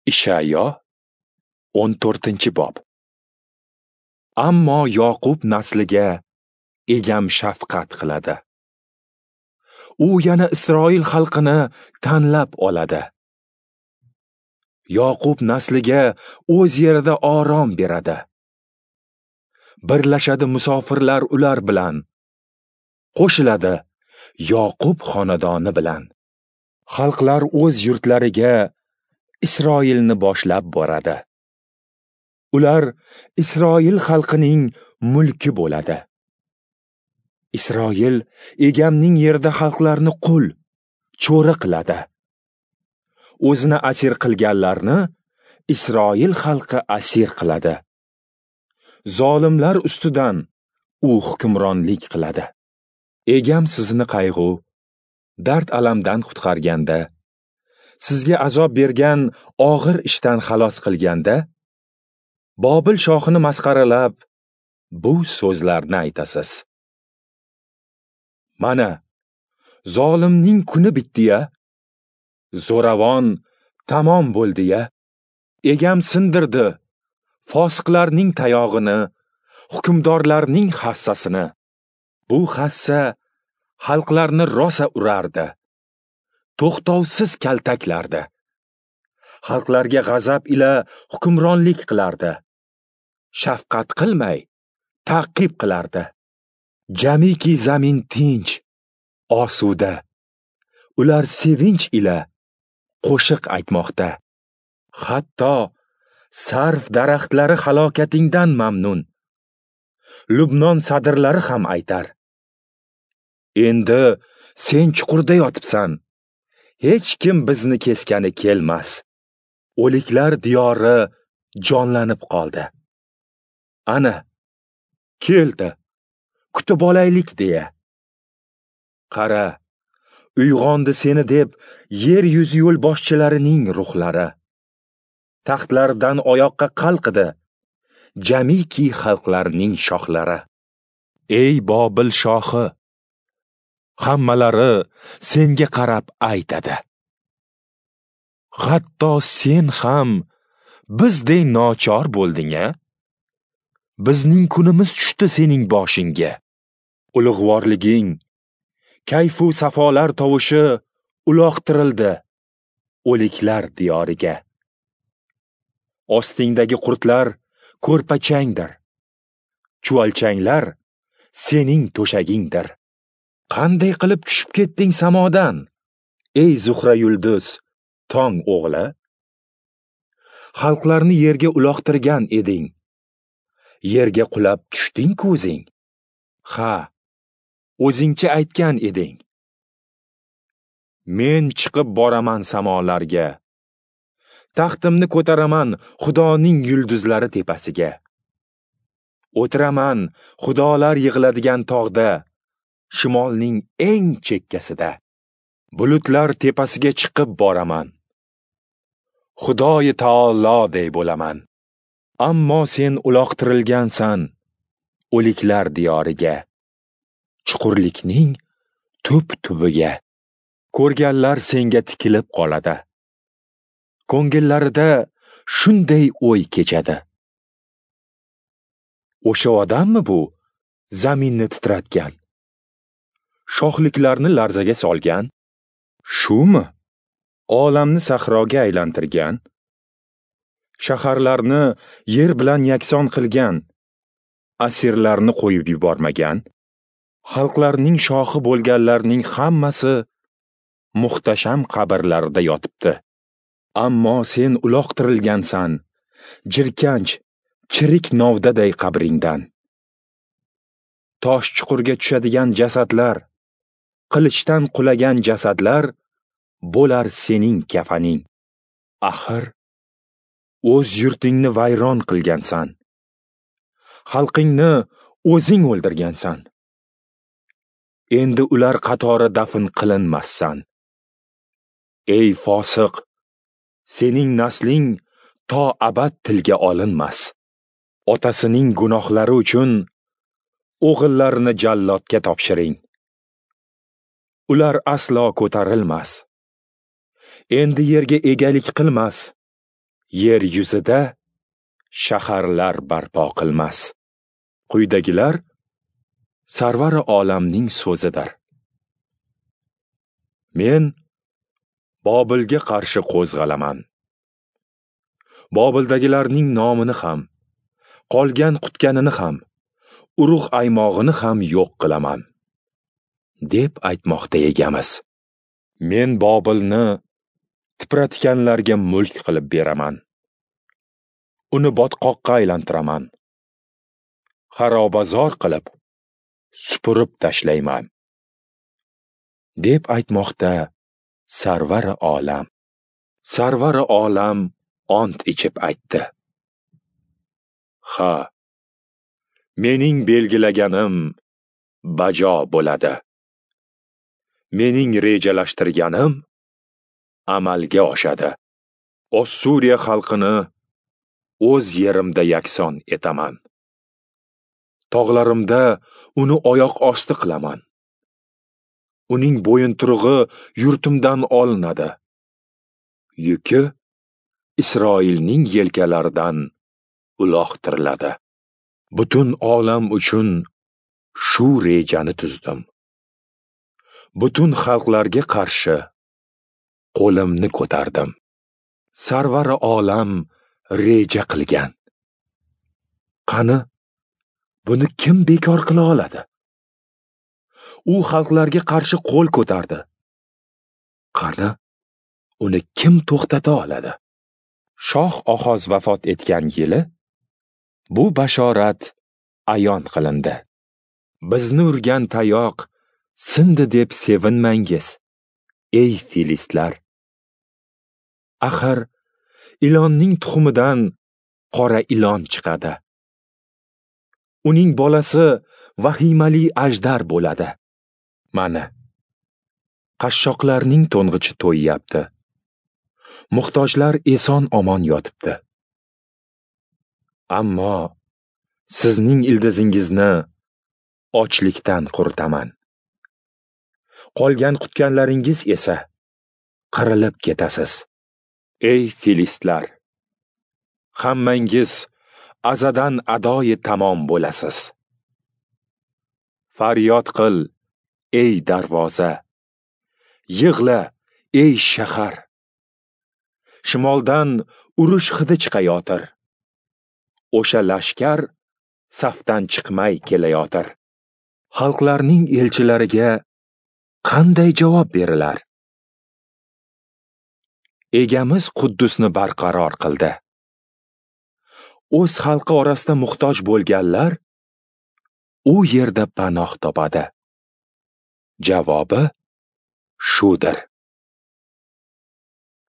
Ishayo 14-bob. Ammo Yoqub nasliga Egam shafqat qiladi. U yana Isroil xalqini tanlab oladi. Yoqub nasliga o'z yerida orom beradi. Birlashadi musofirlar ular bilan, qo'shiladi Yoqub xonadoni bilan. Xalqlar o'z yurtlariga Isroilni boshlab boradi. Ular Isroil xalqining mulki bo'ladi. Isroil Egamning yerida xalqlarni qul, cho'ri qiladi. O'zini asir qilganlarni Isroil xalqi asir qiladi. Zolimlar ustidan u hukmronlik qiladi. Egam sizni qayg'u, dard alamdan qutqarganda, sizga azob bergan og'ir ishdan xalos qilganda, Bobil shohini masxaralab bu so'zlarni aytasiz. Mana, zolimning kuni bitdi-ya, zo'ravon tamom bo'ldi-ya. Egam sindirdi fosiqlarning tayog'ini, hukmdorlarning hassasini. Bu hassa xalqlarni rosa urardi, to'xtovsiz kaltaklardi. Xalqlarga g'azab ila hukmronlik qilardi. Shafqat qilmay ta'qib qilardi. Jamiki zamin tinch, osuda. Ular sevinch ila qo'shiq aytmoqda. Hatto sarf daraxtlari halokatingdan mamnun. Lubnon sadirlari ham aytar. Endi sen chuqurda yotibsan. Hech kim bizni keskani kelmas. O'liklar diyori jonlanib qoldi. Ana, keldi. Kutib olaylik deya. Qara, uyg'ondi seni deb yer yuzi yo'lboshchilarining ruhlari. Taxtlaridan oyoqqa qalqidi jamiki xalqlarning shohlari. Ey Bobil shohi, hammalari senga qarab aytadi. Hatto sen ham bizdek nochor bo'lding-a? Bizning kunimiz tushdi sening boshingga. Ulug'vorliging, kayfu safolar tovushi uloqtirildi o'liklar diyoriga. Ostingdagi qurtlar ko'rpachangdir. Chuvalchanglar sening to'shagingdir. Qanday qilib tushib ketding samodan, ey Zuhra yulduz, tong o'g'li? Xalqlarni yerga uloqtirgan eding. Yerga qulab tushding ko'zing. Ha, o'zingcha aytgan eding. Men chiqib boraman samolarga. Taxtimni ko'taraman Xudoning yulduzlari tepasiga. O'tiraman xudolar yig'iladigan tog'da, shimolning eng chekkasida. Bulutlar tepasiga chiqib boraman. Xudoyi taoloday bo'laman. Ammo sen uloqtirilgansan o'liklar diyoriga, chuqurlikning tub-tubiga. Ko'rganlar senga tikilib qoladi. Ko'ngillarida shunday o'y kechadi. O'sha odammi bu zaminni titratgan, shohliklarni larzaga solgan? Shumi olamni sahroga aylantirgan, shaharlarni yer bilan yakson qilgan, asirlarni qo'yib yubormagan? Xalqlarning shohi bo'lganlarning hammasi muhtasham qabrlarda yotibdi. Ammo sen uloqtirilgansan, jirkanch, chirik novdaday qabringdan. Tosh chuqurga tushadigan jasadlar, qilichdan qulagan jasadlar bo'lar sening kafaning. Axir, o'z yurtingni vayron qilgansan. Xalqingni o'zing o'ldirgansan. Endi ular qatori dafn qilinmassan. Ey fosiq, sening nasling to abad tilga olinmas. Otasining gunohlari uchun o'g'illarini jallodga topshiring. Ular aslo ko'tarilmas. Endi yerga egalik qilmas. Yer yuzida shaharlar barpo qilmas. Quyidagilar Sarvari olamning so'zidir. Men Bobilga qarshi qo'zg'alaman. Bobildagilarning nomini ham, qolgan qutganini ham, urug' aymog'ini ham yo'q qilaman, deb aytmoqda Egamiz. Men Bobilni tipratganlarga mulk qilib beraman. Uni botqoqqa aylantiraman. Xarobazor qilib supurib tashlayman, deb aytmoqda Sarvari olam. Sarvari olam ont ichib aytdi: Ha, mening belgilaganim bajo bo'ladi. Mening rejalashtirganim amalga oshadi. Ossuriya xalqini o'z yerimda yakson etaman. Tog'larimda uni oyoq osti qilaman. Uning bo'yinturug'i yurtimdan olinadi. Yuki Isroilning yelkalaridan uloqtiriladi. Butun olam uchun shu rejani tuzdim. Butun xalqlarga qarshi qo'limni ko'tardim. Sarvari olam reja qilgan. Qani, buni kim bekor qila oladi? U xalqlarga qarshi qo'l ko'tardi. Qani, uni kim to'xtata oladi? Shoh Ohoz vafot etgan yili bu bashorat ayon qilindi. Bizni urgan tayoq sindi deb sevinmangiz, ey filistlar. Axir ilonning tuxumidan qora ilon chiqadi. Uning bolasi vahimali ajdar bo'ladi. Mana, qashshoqlarning to'ng'ichi to'yyapti. Muhtojlar eson-omon yotibdi. Ammo sizning ildizingizni ochlikdan quritaman. Qolgan qutganlaringiz esa qirilib ketasiz. Ey filistlar, hammangiz azadan adoyi tamom bo'lasiz. Faryod qil, ey darvoza! Yig'la, ey shahar! Shimoldan urush hidi chiqayotir. O'sha lashkar safdan chiqmay kelayotir. Xalqlarning elchilariga qanday javob berilar? Egamiz Quddusni barqaror qildi. O'z xalqi orasida muhtoj bo'lganlar u yerda panoh topadi. Javobi shudir.